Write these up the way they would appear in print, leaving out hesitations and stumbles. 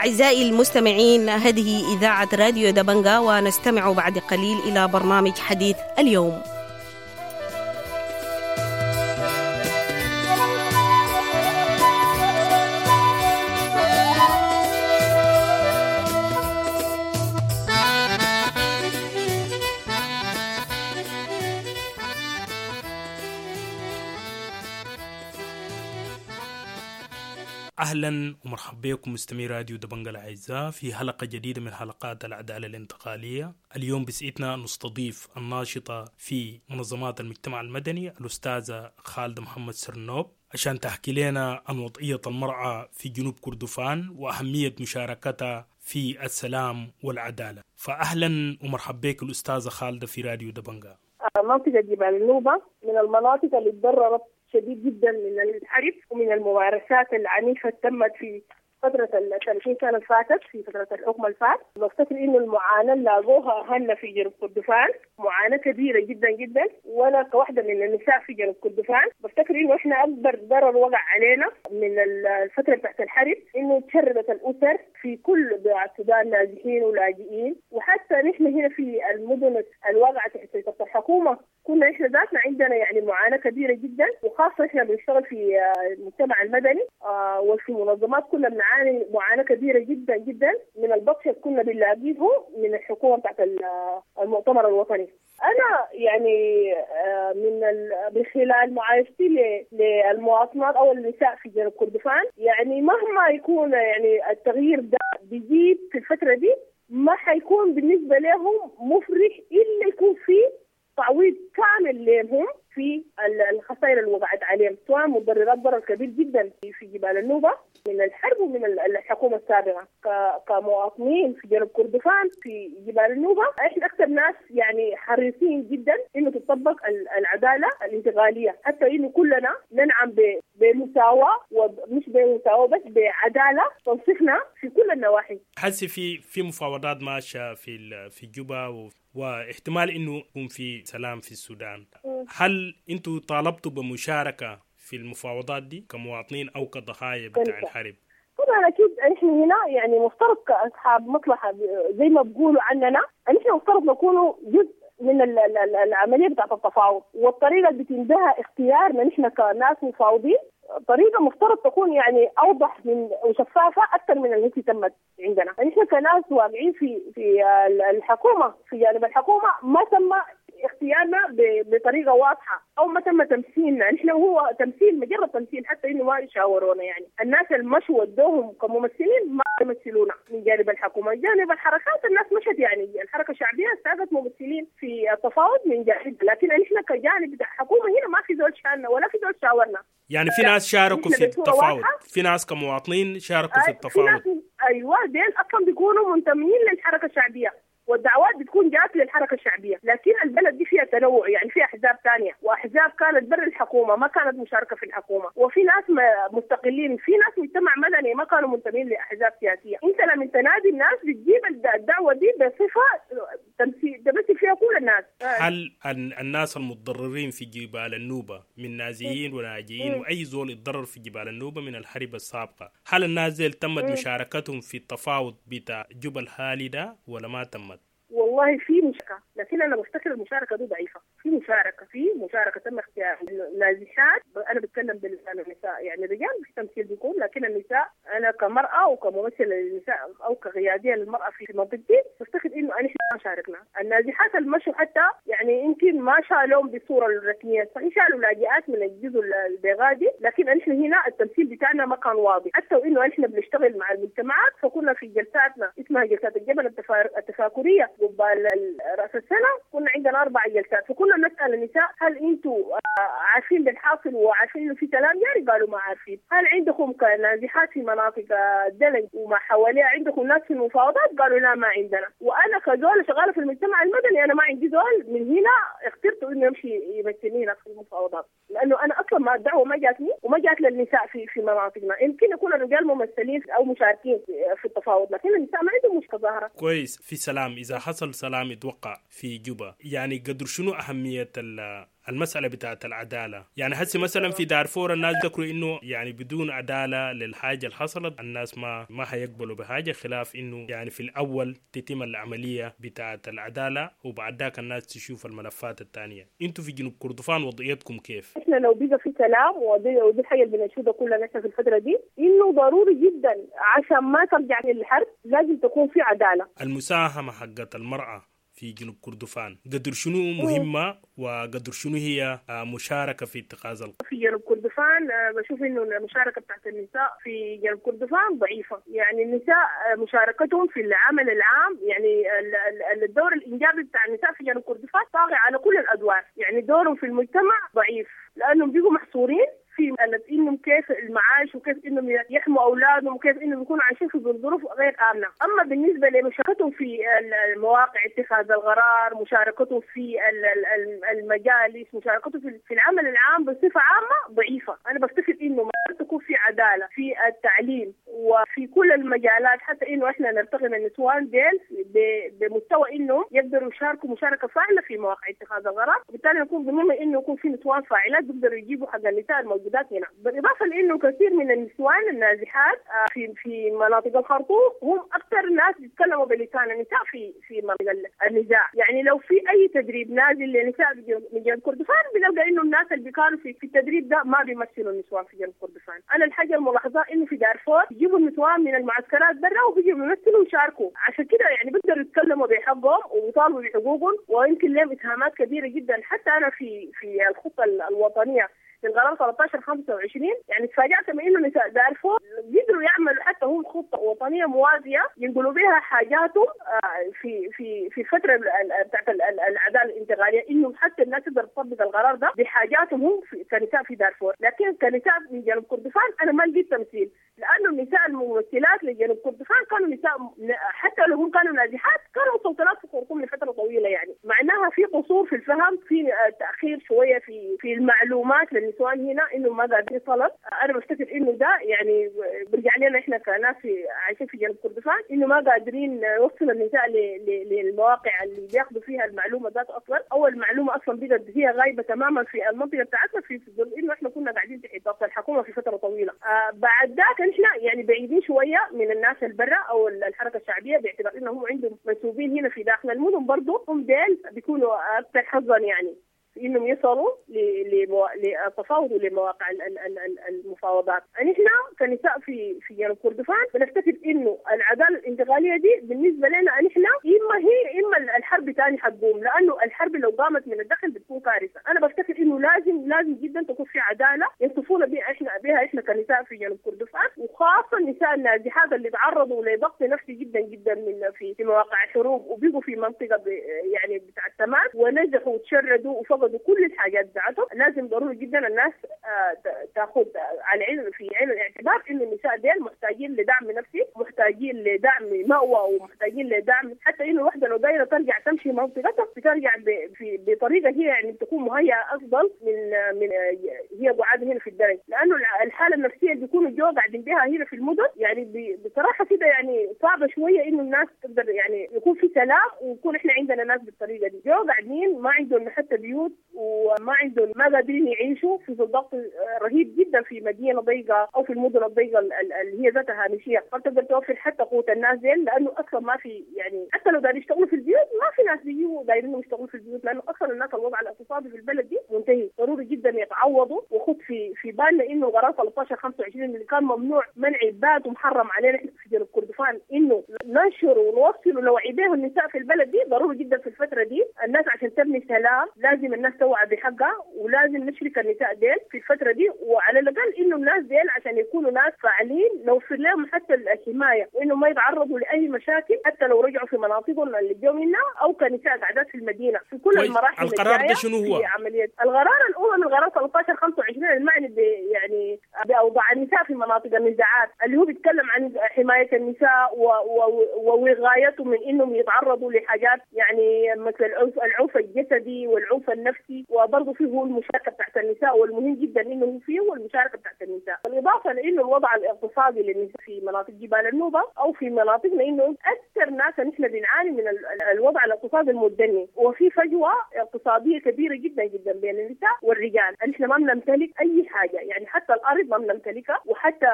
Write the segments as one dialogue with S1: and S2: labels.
S1: أعزائي المستمعين، هذه إذاعة راديو دبنجا، ونستمع بعد قليل إلى برنامج حديث اليوم.
S2: اهلا ومرحبا بكم مستمعي راديو دبنجا الاعزاء في حلقة جديدة من حلقات العدالة الانتقالية. اليوم بسعتنا نستضيف الناشطه في منظمات المجتمع المدني الاستاذة خالدة محمد سرنوب عشان تحكي لنا عن وضعية المراة في جنوب كردفان واهمية مشاركتها في السلام والعدالة. فاهلا ومرحبا بك الاستاذة خالدة في راديو دبنجا.
S3: منطقة جبال النوبة من المناطق اللي تضررت شديد جدا من الحرب ومن الممارسات العنيفة اللي تمت في فترة ال 30 سنة اللي فاتت، في فترة الحكم الفات. بفتكر إنه المعاناة اللي لاقوها أهلنا في جنوب كردفان معاناة كبيرة جدا جدا، وأنا كواحدة من النساء في جنوب كردفان بفتكر إنه إحنا أكبر ضرر وقع علينا من الفترة تحت الحرب إنه تشردت الأسر في كل بقاع السودان، نازحين ولاجئين، وحتى نحن هنا في المدن الواقعة تحت سيطرة الحكومة كنا إحنا ذاتنا عندنا يعني معاناة كبيرة جدا، وخاصة إحنا بنشتغل في المجتمع المدني وفي منظمات كنا بنعاني معاناة كبيرة جدا جدا من البطش اللي كنا بنلاقيه من الحكومة بتاعت المؤتمر الوطني. أنا يعني من خلال معايشتي للمواطنات أو النساء في جنوب كردفان، يعني مهما يكون يعني التغيير ده بيجيب في الفترة دي ما حيكون بالنسبة لهم مفرح إلا يكون في تعويض كامل لهم في الخسائر اللي وقعت عليهم، سواء متضررات ضرر كبير جدا في جبال النوبة من الحرب ومن الحكومة السابقة. كمواطنين في جنوب كردفان في جبال النوبة احنا اكثر ناس يعني حريصين جدا انه تطبق العدالة الانتقالية، حتى انه كلنا ننعم بمساواه، ومش بمساواه بس، بعداله تنصفنا في كل النواحي.
S2: حسي في مفاوضات ماشية في جوبا واحتمال انه يكون في سلام في السودان. هل انتوا طالبتوا بمشاركة في المفاوضات دي كمواطنين او كضحايا بتاع الحرب؟
S3: طبعا اكيد احنا هنا يعني مفترض كاصحاب مصلحة زي ما بيقولوا عننا، نحن مفترض نكونوا جزء من العملية بتاعت التفاوض، والطريقة اللي بيتم بها اختيارنا نحن كناس مفاوضين طريقه مفترض تكون يعني اوضح من وشفافه اكثر من التي تمت عندنا. نحن كناس واقعين في الحكومة، في جانب الحكومة ما تم اختيارنا بطريقة واضحة او ما تم تمثيلنا، نحن هو تمثيل مجرد تمثيل، حتى انه ما يشاورونا يعني الناس اللي مشوا ودوهم كممثلين ما يمثلونا من جانب الحكومة. جانب الحركات الناس مشت يعني الحركة الشعبية استعدت ممثلين في التفاوض من جانب، لكن نحن كجانب بتاع الحكومة هنا ما في زول شالنا ولا في زول شاورنا.
S2: يعني في ناس شاركوا في التفاوض، في ناس كمواطنين شاركوا في التفاوض.
S3: ايوه ديل اصلا بيكونوا منتمين للحركة الشعبية، والدعوات بتكون جات للحركة الشعبية، لكن البلد دي فيها تنوع، يعني فيها احزاب ثانية واحزاب كانت برا الحكومة ما كانت مشاركة في الحكومة، وفي ناس مستقلين، في ناس مجتمع مدني ما كانوا منتمين لاحزاب سياسية. انت لما تنادي الناس بتجيب الدعوة دي بصفة تمثيل تمثل فيها كل الناس.
S2: هل الناس المتضررين في جبال النوبة من نازيين ولاجئين واي زول اتضرر في جبال النوبة من الحرب السابقة، هل الناس دي تمت مشاركتهم في التفاوض بتاع جبل هالي ده ولا ما تمت؟
S3: والله في مشاركة، لكن أنا بفتكر المشاركة دي ضعيفة. في مشاركة تم اختيار النازحات، أنا بتكلم بلسان النساء، يعني الرجال مش تمثيل بيكون، لكن النساء أنا كمرأة وكممثلة للنساء أو كقيادية للمرأة في منطقتي بفتكر إنه أنا ما شاركنا. النازحات المشوا حتى يعني يمكن ما شالوهم بالصورة الرسمية، صحيح شالوا لاجئات من الجزء البيغادي، لكن نحن هنا التمثيل بتاعنا ما كان واضح، حتى وإنه نحن بنشتغل مع المجتمعات، فكنا في جلساتنا اسمها جلسات الجبل التفاكرية قبال رأس السنة، كنا عندنا 4 جلسات، فكنا نسأل النساء هل أنتوا عارفين بالحاصل وعارفين إنه في سلام جاري؟ قالوا ما عارفين. هل عندكم كنازحات في مناطق الدلنج وما حواليها عندكم ناس في المفاوضات؟ قالوا لا ما عندنا. وأنا كزول شغالة في المجتمع المدني أنا ما عندي زول من هنا اخترت إنه يمشي يمثلني هنا في المفاوضات، لأنه أنا أصلا ما الدعوة ما جاتني وما جات للنساء في مناطقنا. يمكن يكون الرجال ممثلين أو مشاركين في التفاوض، لكن النساء ما عندهم مشكلة ظاهرة.
S2: كويس. في سلام، إذا حصل سلام يتوقع في جوبا، يعني قدر شنو أهمية المسألة بتاعت العدالة. يعني هسه مثلا في دارفور الناس ذكروا إنه يعني بدون عدالة للحاجة اللي حصلت الناس ما هيقبلوا بحاجة، خلاف إنه يعني في الأول تتم العملية بتاعت العدالة وبعد ذاك الناس تشوف الملفات الثانية. انتوا في جنوب كردفان وضعيتكم كيف؟
S3: احنا لو بقى في سلام، ودي الحاجة اللي بنشوفها كلنا في الفترة دي، إنه ضروري جدا عشان ما ترجع للحرب لازم تكون في عدالة.
S2: المساهمة حقت المرأة في جنوب كردفان قدر شنو مهمة وقدر شنو هي مشاركة في اتخاذ القرار؟
S3: في جنوب كردفان بشوف إنه المشاركة بتاعت النساء في جنوب كردفان ضعيفة. يعني النساء مشاركتهم في العمل العام، يعني الدور الإنجابي بتاع النساء في جنوب كردفان طاغي على كل الأدوار، يعني دورهم في المجتمع ضعيف لأنهم بيجوا محصورين في انهم كيف المعاش وكيف انهم يحموا اولادهم وكيف انهم يكونوا عايشين في ظروف غير امنه. اما بالنسبة لمشاركتهم في المواقع اتخاذ القرار، مشاركتهم في المجالس، مشاركتهم في العمل العام بصفة عامة ضعيفة. انا بفتكر انه ما تكون في عدالة في التعليم وفي كل المجالات، حتى انه احنا نرتقي من النسوان ديل بمستوى انه يقدروا يشاركوا مشاركة فاعله في مواقع اتخاذ القرار، وبالتالي نكون ضمن انه يكون في نسوان فاعلات بيقدروا يجيبوا حق النساء الموجودات هنا. بالإضافة لأنه كثير من النسوان النازحات في مناطق الخرطوم هم أكثر ناس بيتكلموا بلسان النساء في مناطق النزاع. يعني لو في أي تدريب نازل لنساء من جنوب كردفان بنلقى إنه الناس اللي كانوا في التدريب ده ما بيمثلوا النسوان في جنوب كردفان. أنا الحاجة الملاحظة إنه في دارفور بيجيبوا النسوان من المعسكرات برا وبيجوا بيمثلوا ويشاركوا، عشان كده يعني بيقدروا يتكلموا بحقهم ويطالبوا بحقوقهم، ويمكن لهم إسهامات كبيرة جدا. حتى أنا في الخطة الوطنية للقرار 1325 يعني تفاجأت من انه نساء دارفور قدروا يعملوا حتى هم خطه وطنية موازية ينقلوا بها حاجاتهم في في في الفترة بتاعت العدالة الانتقالية، انه حتى الناس تقدر تطبق القرار ده بحاجاتهم هم كنساء في دارفور. لكن كنساء من جنوب كردفان انا ما لقيت تمثيل، لانه النساء الممثلات لجنوب كردفان كانوا نساء حتى لو هم كانوا نازحات كانوا مستوطنات في الخرطوم لفترة طويلة، يعني معناها في قصور في الفهم، في تاخير شوية في المعلومات للنسوان هنا انه ما قادرين يصلت. انا بفتكر انه ده يعني برجع لنا احنا كناس عايشين في جنوب كردفان انه ما قادرين نوصل النساء للمواقع اللي بياخذوا فيها المعلومة ذات اصلا، او المعلومة اصلا بقت هي غايبة تماما في المنطقة بتاعتنا في ظل انه احنا كنا قاعدين تحت ضغط الحكومة في فترة طويلة. بعد ذاك احنا يعني بعيدين شوية من الناس البرة او الحركة الشعبية باعتبار انهم عندهم منسوبين هنا في داخل المدن، برضه هم ديل بيكونوا اكثر حظا يعني انهم يصلوا للتفاوض ولمواقع المفاوضات. نحن كنساء في جنوب كردفان بنفتكر انه العدالة الانتقالية دي بالنسبة لنا نحن اما هي اما الحرب ثاني حتقوم، لانه الحرب لو قامت من الداخل بتكون كارثة. انا بفتكر انه لازم جدا تكون في عدالة ينصفونا بها احنا كنساء في جنوب كردفان، وخاصة النساء النازحات اللي تعرضوا لضغط نفسي جدا جدا من في مواقع الحروب وبقوا في منطقة يعني بتاع التماس ونزحوا وتشردوا وفقدوا كل الحاجات بتاعتهم. لازم ضروري جدا الناس تاخذ على عين في عين الاعتبار انه النساء ديل محتاجين لدعم نفسي، محتاجين لدعم مأوى، ومحتاجين لدعم حتى انه الوحدة لو دايرة ترجع تمشي منطقتها بترجع بطريقة هي يعني تكون مهيئة افضل من هي قعاد هنا في الدرج، لانه الحالة النفسية اللي بيكونوا جوا قاعدين بها هنا في المدن يعني بصراحة كده يعني صعبة شوية انه الناس تقدر يعني يكون في سلام ويكون احنا عندنا ناس بالطريقة دي جوا قاعدين ما عندهم حتى بيوت وما عندهم ما قادرين يعيشوا في ضغط رهيب جدا في مدينة ضيقه او في المدن الضيقه اللي هي ذاتها هامشية، ما بتقدر توفر حتى قوت الناس ديل، لانه اصلا ما في يعني حتى لو دايرين يشتغلوا في البيوت ما في ناس بيجوا دايرين يشتغلوا في البيوت، لانه اصلا الناس الوضع الاقتصادي في البلد دي منتهي. ضروري جدا يتعوضوا. وخد في بالنا انه قرار 1325 اللي كان ممنوع منع بات ومحرم علينا في جنوب كردفان انه ننشر ونوصل ونوعي به النساء في البلد دي، ضروري جدا في الفترة دي الناس عشان تبني سلام لازم الناس توعى بحقها، ولازم نشرك النساء ديل في الفترة دي، وعلى الاقل انه الناس ديل عشان يكونوا ناس فاعلين نوفر لهم حتى الحماية وانه ما يتعرضوا لاي مشاكل حتى لو رجعوا في مناطقهم اللي جو منها او كنساء قاعدات في المدينة في كل المراحل.
S2: القرار ده شنو هو؟
S3: في عملية القرار الاول من قرار 1325 المعني يعني باوضاع النساء في مناطق النزاع. النزاعات اللي هو بيتكلم عن حماية النساء ووقايتهم من انهم يتعرضوا لحاجات يعني مثل العنف الجسدي والعنف النفسي، وبرضه فيه هو المشاركة بتاعت النساء، والمهم جدا انه هو فيه المشاركة بتاعت النساء. بالاضافة لانه الوضع الاقتصادي للنساء في مناطق جبال النوبة او في مناطقنا انه اكثر ناس نحن بنعاني من الوضع الاقتصادي المتدني، وفي فجوة اقتصادية كبيرة جدا جدا بين النساء والرجال. نحن ما بنمتلك اي حاجة، يعني حتى الارض ما بنمتلكها، وحتى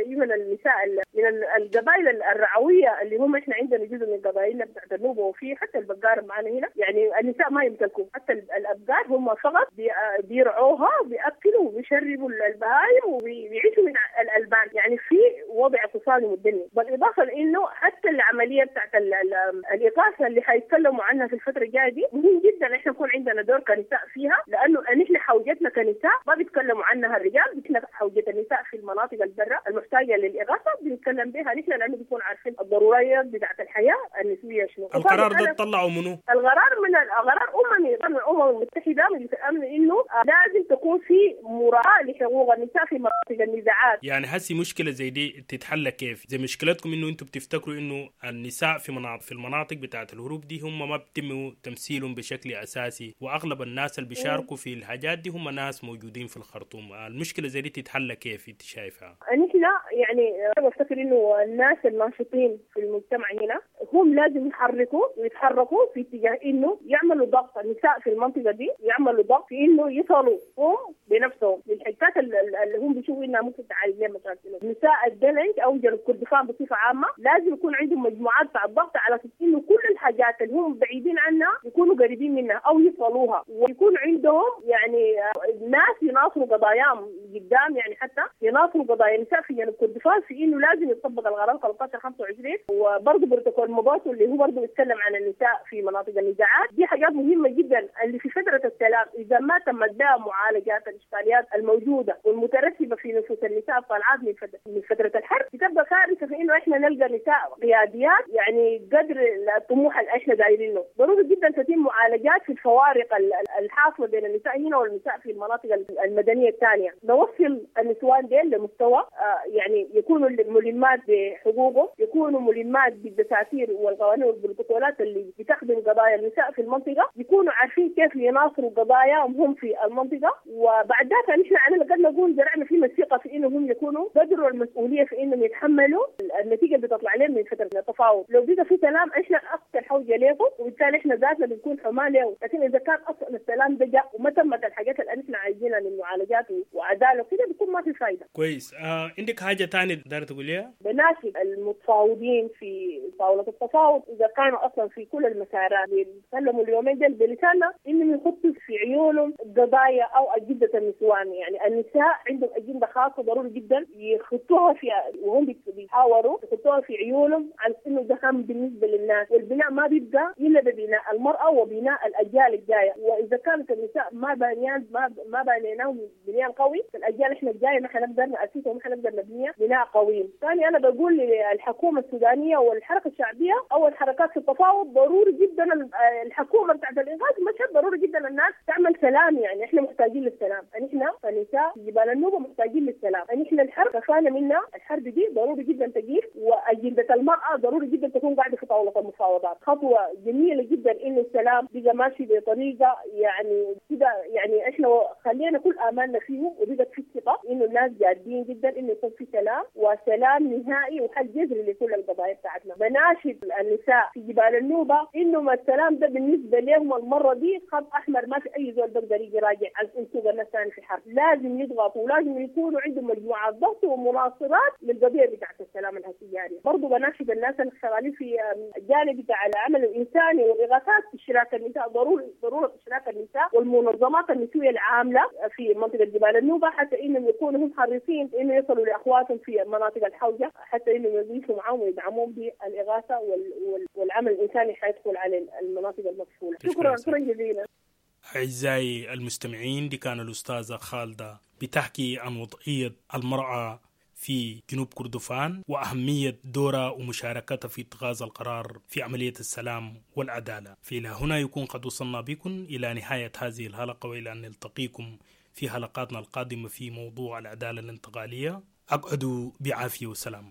S3: من النساء من القبائل الرعويه اللي هم احنا عندنا جزء من قبائلنا بتاعت النوبة، وفي حتى البقار معنا هنا، يعني النساء ما يمتلكوا حتى الابقار، هم فقط بيرعوها وبياكلوا وبيشربوا البهايم وبيعيشوا من الالبان. يعني في وضع اقتصادي متدني، بالاضافة لانه حتى العملية بتاعت الاغاثة اللي حيتكلموا عنها في الفترة الجاية دي مهم جدا احنا نكون عندنا دور كنساء فيها، لانه نحن حوجتنا كنساء ما بيتكلموا عنها الرجال، نحن حوجه النساء في المناطق البرة المحتاجه للاغاثة بنتكلم بها نحن، لانه بنكون عارفين الضروريات بتاعت الحياة النسوية شنو.
S2: القرار ده طلعوا منو؟
S3: القرار من القرار اممي من الامم المتحدة، مجلس الامن، انه لازم تكون في مراعاة لحقوق النساء في مناطق النزاعات.
S2: يعني هسي مشكلة زي دي تتحل كيف؟ زي مشكلتكم انه انتم بتفتكروا انه النساء في المناطق بتاعت الهروب دي هم ما بيتم تمثيلهم بشكل اساسي، واغلب الناس اللي بيشاركوا في الحاجات دي هم ناس موجودين في الخرطوم. المشكلة زي دي تتحل كيف انت شايفها؟
S3: نحن يعني انا بفتكر انه الناس الناشطين في المجتمع هنا هم لازم يحركوا ويتحركوا في اتجاه انه يعملوا ضغط النساء في المنطقة دي، يعملوا ضغط في انه يصلوا هم بنفسهم للحتات اللي هم بيشوفوا انها ممكن تعالج لهم مشاكلهم. نساء الدلنج او جنوب كردفان بصفة عامة لازم يكون عندهم مجموعات بتاع الضغط على اساس انه كل الحاجات اللي هم بعيدين عنها يكونوا قريبين منها او يصلوها، ويكون عندهم يعني ناس يناصروا قضاياهم قدام، يعني حتى يناصروا قضايا النساء في جنوب كردفان في انه لازم يطبق القرار 1325، وبرضه بروتوكول مباسو اللي هو برضه بيتكلم عن النساء في مناطق النزاعات. دي حاجات مهمة جدا اللي في فترة السلام اذا ما تمت بها معالجات الاشكاليات الموجودة والمترتبه في نفوس النساء الطالعات من فترة الحرب، بتبقى كارثة في انه احنا نلقى نساء قياديات يعني قدر الطموح اللي احنا دايرينه. ضروري جدا تتم معالجات في الفوارق الحاصلة بين النساء هنا والنساء في المناطق المدنية الثانية، نوصل النسوان ديل لمستوى يعني يكونوا ملمات بحقوقهم، يكونوا ملمات بالدساتير والقوانين والبروتوكولات اللي بتخدم قضايا النساء في المنطقة، يكونوا عارفين كيف يناصروا قضاياهم هم في المنطقة. وبعد ذاك نحن على الاقل نقول زرعنا فيهم الثقة في انهم هم يكونوا قدروا المسؤولية في انهم يتحملوا النتيجة اللي بتطلع لهم من فترة التفاوض. لو بقى في سلام احنا اكثر حوجه لهم، وبالتالي احنا ذاتنا بنكون حماه له. لكن اذا كان اصلا السلام ده جاء وما تمت الحاجات اللي احنا عايزينها من معالجات وعداله وكده بيكون ما في فايده.
S2: كويس. عندك حاجة ثانية دايرة تقوليها؟
S3: بناشد المتفاوضين في طاولة التفاوض اذا كانوا اصلا في كل المسارات بيتكلموا اليومين ديل بلساننا انهم يحطوا في عيونهم قضايا او اجندة النسوان، يعني النساء عندهم اجندة خاصة ضروري جدا يحطوها في وهم بيحاوروا يحطوها في عيونهم على انه ده هم بالنسبة للناس، والبناء ما بيبقى الا ببناء المراة وبناء الاجيال الجاية. واذا كانت النساء ما بنيان ما بنيناهم بنيان قوي، فالاجيال احنا الجاية ما حنقدر ناسسها وما حنقدر نبنيها بناء قوي. ثاني انا بقول للحكومة السودانية والحركة الشعبية او الحركات في التفاوض ضروري جدا الحكومة بتاعت الانقاذ مشهد ضروري جدا الناس تعمل سلام، يعني احنا محتاجين للسلام، نحن كنساء في جبال النوبة محتاجين للسلام، نحن الحرب كفانا منها، الحرب دي ضروري جدا تجيب، واجنده المراة ضروري جدا تكون قاعدة في طاولة المفاوضات. خطوة جميلة جدا انه السلام بقى ماشي بطريقة يعني كده، يعني احنا خلينا كل امالنا فيه وبقت في ثقة انه الناس جادين جدا انه يكون في سلام، وسلام نهائي وحل جذري لكل القضايا بتاعتنا. بناشد النساء في جبال النوبة انه ما السلام ده بالنسبة لهم المرة دي خط احمر، ما في اي زول بيقدر يجي راجع عن سوق الناس ثاني في حرب، لازم يضغطوا ولازم يكونوا عندهم مجموعات ضغط ومناصرات للقضية بتاعت السلام الهسياري. برضه بناشد الناس اللي شغالين في الجانب بتاع العمل الانساني والاغاثات اشراك النساء، ضرورة اشراك النساء والمنظمات النسوية العاملة في منطقة جبال النوبة، حتى انهم يكونوا هم حريصين انه يصلوا لاخواتهم في مناطق الحوجه، حتى انهم يضيفوا معاهم ويدعموهم بالاغاثه والعمل الانساني حيدخل على المناطق المقفولة. شكرا شكرا جزيلا.
S2: أعزائي المستمعين، دي كان الأستاذة خالدة بتحكي عن وضعية المرأة في جنوب كردفان وأهمية دورها ومشاركتها في اتخاذ القرار في عملية السلام والعدالة. فإلى هنا يكون قد وصلنا بكم إلى نهاية هذه الحلقة، وإلى أن نلتقيكم في حلقاتنا القادمة في موضوع العدالة الانتقالية. أقعدوا بعافية وسلام.